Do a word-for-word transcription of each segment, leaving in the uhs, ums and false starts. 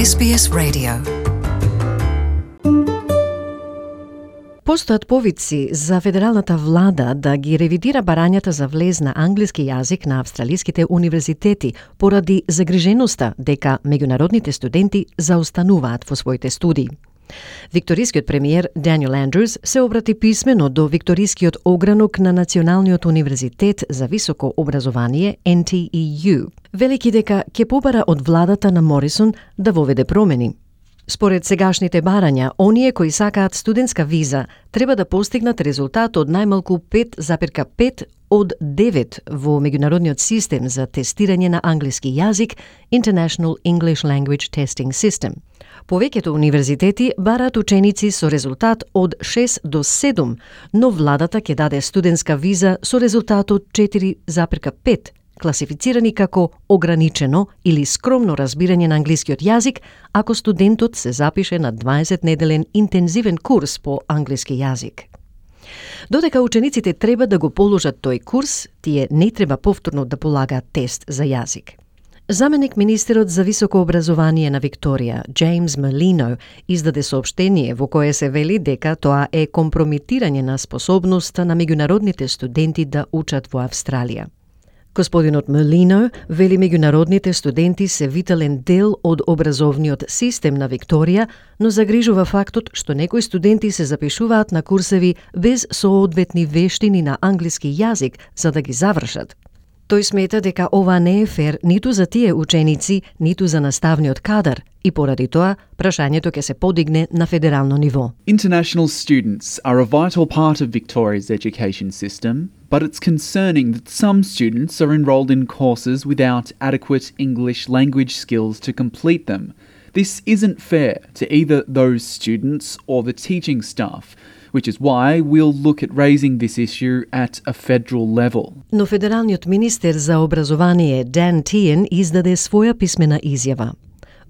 Ес Би Ес Radio. Постојат повици за федералната влада да ги ревидира барањата за влез на англиски јазик на австралиските универзитети поради загриженоста дека меѓународните студенти заостануваат во своите студии. Викторискиот премиер Даниел Андрус се обрати писмено до Викторискиот огранок на Националниот универзитет за високо образование Ен Ти И Ю, велики дека ќе побара од владата на Морисон да воведе промени. Според сегашните барања, оние кои сакаат студентска виза треба да постигнат резултат од најмалку пет запирка пет од девет во меѓународниот систем за тестирање на англиски јазик International English Language Testing System. Повеќето универзитети бараат ученици со резултат од шест до седум, но владата ќе даде студентска виза со резултат од четири запирка пет, класифицирани како ограничено или скромно разбирање на англискиот јазик ако студентот се запише на дваесет неделен интензивен курс по англиски јазик. Додека учениците треба да го положат тој курс, тие не треба повторно да полагаат тест за јазик. Заменик министерот за високо образование на Викторија, Джеймс Мелино, издаде соопштение во кое се вели дека тоа е компрометирање на способноста на меѓународните студенти да учат во Австралија. Господинот Мелино вели меѓународните студенти се витален дел од образовниот систем на Викторија, но загрижува фактот што некои студенти се запишуваат на курсеви без соодветни вештини на англиски јазик за да ги завршат. Тој смета дека ова не е фер ниту за тие ученици, ниту за наставниот кадар и поради тоа прашањето ќе се подигне на федерално ниво. International students are a vital part of Victoria's education system, but it's concerning that some students are enrolled in courses without adequate English language skills to complete them. This isn't fair to either those students or the teaching staff, which is why we'll look at raising this issue at a federal level. Но федералниот министер за образование Дан Тиен издаде своја писмена изјава.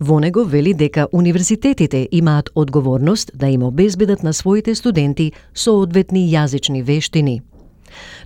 Во него вели дека универзитетите имаат одговорност да им обезбедат на своите студенти соодветни јазични вештини.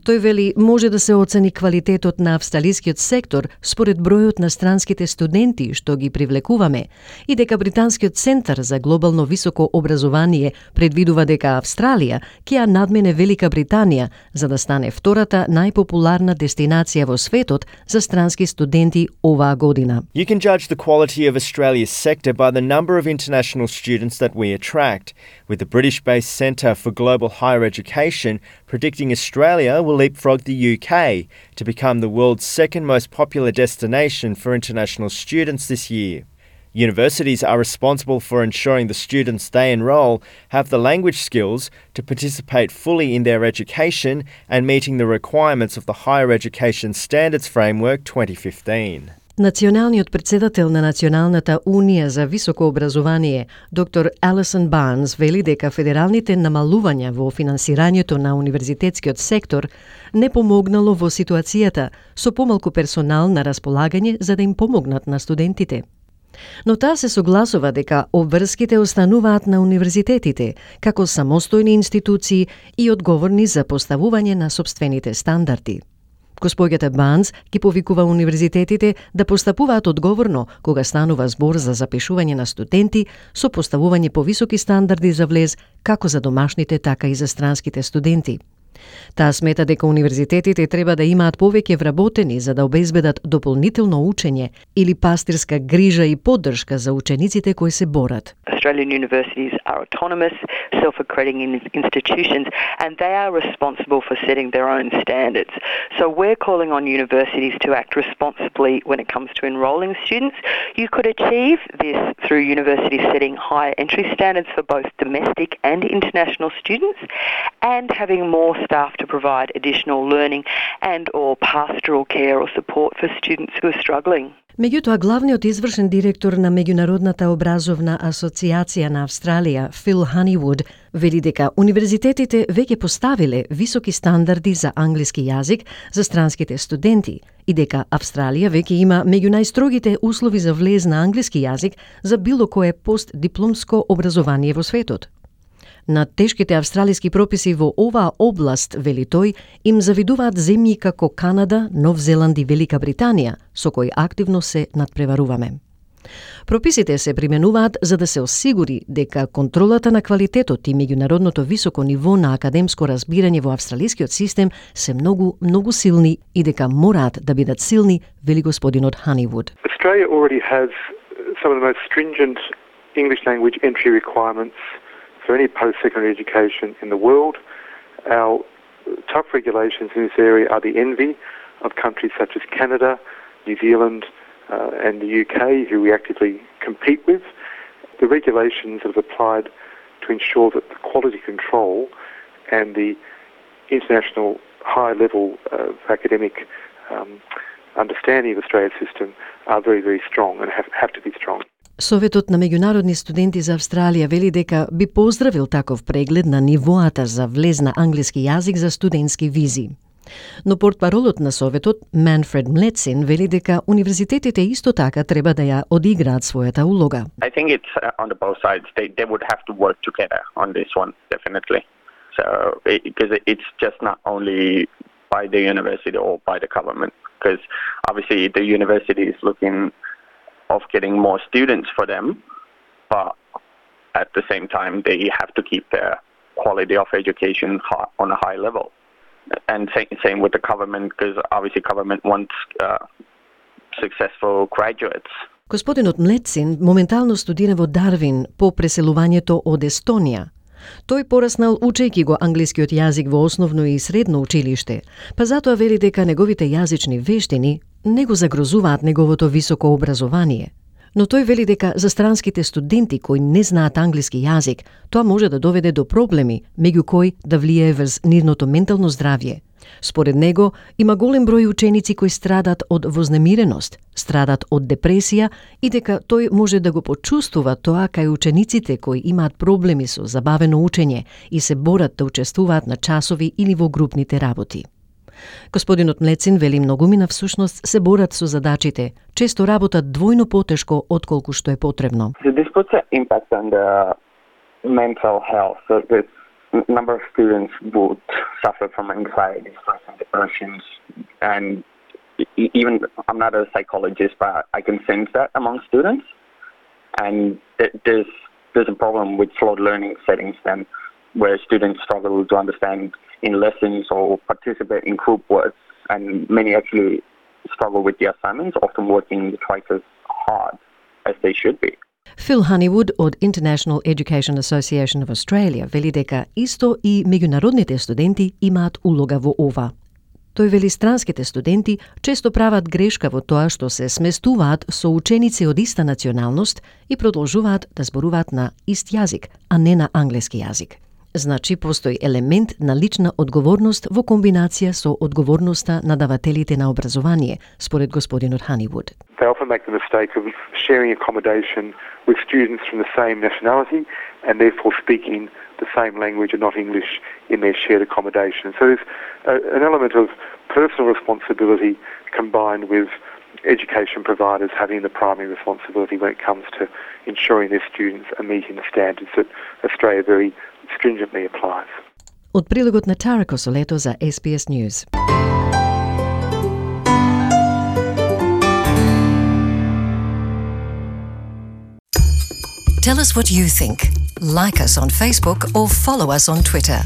Тој вели може да се оцени квалитетот на австралискиот сектор според бројот на странските студенти што ги привлекуваме и дека Британскиот центар за глобално високо образование предвидува дека Австралија ќе ја надмене Велика Британија за да стане втората најпопуларна дестинација во светот за странски студенти оваа година. You can judge the quality of Australia's sector by the number of international students that we attract, with the British-based Centre for Global Higher Education predicting Australia will leapfrog the U K to become the world's second most popular destination for international students this year. Universities are responsible for ensuring the students they enrol have the language skills to participate fully in their education and meeting the requirements of the Higher Education Standards Framework twenty fifteen. Националниот председател на Националната унија за високо образование, доктор Алисон Барнс, вели дека федералните намалувања во финансирањето на универзитетскиот сектор не помогнало во ситуацијата со помалку персонал на располагање за да им помогнат на студентите. Но таа се согласува дека обврските остануваат на универзитетите како самостојни институции и одговорни за поставување на сопствените стандарди. Госпоѓата Банс ги повикува универзитетите да постапуваат одговорно кога станува збор за запишување на студенти со поставување повисоки стандарди за влез како за домашните, така и за странските студенти. Таа смета дека универзитетите треба да имаат повеќе вработени за да обезбедат дополнително учење или пастирска грижа и поддршка за учениците кои се борат. Australian universities are autonomous, self-accrediting institutions, and they are responsible for setting their own standards. So we're calling on universities to act responsibly when it comes to enrolling students. You could achieve this through universities setting higher entry standards for both domestic and international students, and having more staff to provide additional learning and or pastoral care or support for students who are struggling. Меѓутоа, главниот извршен директор на Меѓународната образовна асоциација на Австралија, Фил Ханивуд, вели дека универзитетите веќе поставиле високи стандарди за англиски јазик за странските студенти и дека Австралија веќе има меѓу најстрогите услови за влез на англиски јазик за било кое постдипломско образование во светот. На тешките австралиски прописи во оваа област, вели тој, им завидуваат земји како Канада, Нов Зеланд и Велика Британија, со кои активно се надпреваруваме. Прописите се применуваат за да се осигури дека контролата на квалитетот и меѓународното високо ниво на академско разбирање во австралискиот систем се многу, многу силни и дека мораат да бидат силни, вели господинот Honeywood. Australia already has some of the most stringent English language entry requirements for any post-secondary education in the world. Our tough regulations in this area are the envy of countries such as Canada, New Zealand, uh, and the U K, who we actively compete with. The regulations have applied to ensure that the quality control and the international high level of academic um, understanding of Australia's system are very, very strong and have, have to be strong. Советот на меѓународни студенти за Австралија вели дека би поздравил таков преглед на нивоата за влез на англиски јазик за студентски визи. Но портпаролот на Советот, Манфред Млецин, вели дека универзитетите исто така треба да ја одиграат својата улога. I think it's uh, on the both sides. They, they would have to work together on this one, definitely. So, because it, it's just not only by the university or by the government, because obviously the university is looking of getting more students for them, but at the same time they have to keep their quality of education on a high level. And same with the government, because obviously government wants uh, successful graduates. Господинот Млецин моментално студира во Дарвин по преселувањето од Естонија. Тој пораснал учејќи го англискиот јазик во основно и средно училиште, па затоа вели дека неговите јазични вештини не го загрозуваат неговото високо образование. Но тој вели дека за странските студенти кои не знаат англиски јазик, тоа може да доведе до проблеми, меѓу кои да влијае врз нивното ментално здравје. Според него, има голем број ученици кои страдат од вознемиреност, страдат од депресија и дека тој може да го почувствува тоа кај учениците кои имаат проблеми со забавено учење и се борат да учествуваат на часови или во групните работи. Господинот Млецин вели многумина всушност се борат со задачите, често работат двојно потешко отколку што е потребно. So this puts an impact on the mental health. So this number of students would suffer from anxiety, stress and depressions, and even, I'm not a psychologist, but I can sense that among students. And there's there's a problem with slowed learning settings then, where students struggle to understand in lessons or participate in group work, and many actually struggle with the assignments, often working twice as hard as they should be. Phil Honeywood од International Education Association of Australia вели дека исто и меѓународните студенти имаат улога во ова. Тој вели странските студенти често прават грешка во тоа што се сместуваат со ученици од иста националност и продолжуваат да зборуваат на ист јазик, а не на англиски јазик. Значи, постои елемент на лична одговорност во комбинација со одговорноста на давателите на образование, според господинот Honeywood. They often make the mistake of sharing accommodation with students from the same nationality and therefore speaking the same language and not English in their shared accommodation. So there's a, an element of personal responsibility combined with education providers having the primary responsibility when it comes to ensuring their students are meeting the standards that Australia very stringently applies. Од прилогот на Tara Kosoleto за S B S News. Tell us what you think. Like us on Facebook or follow us on Twitter.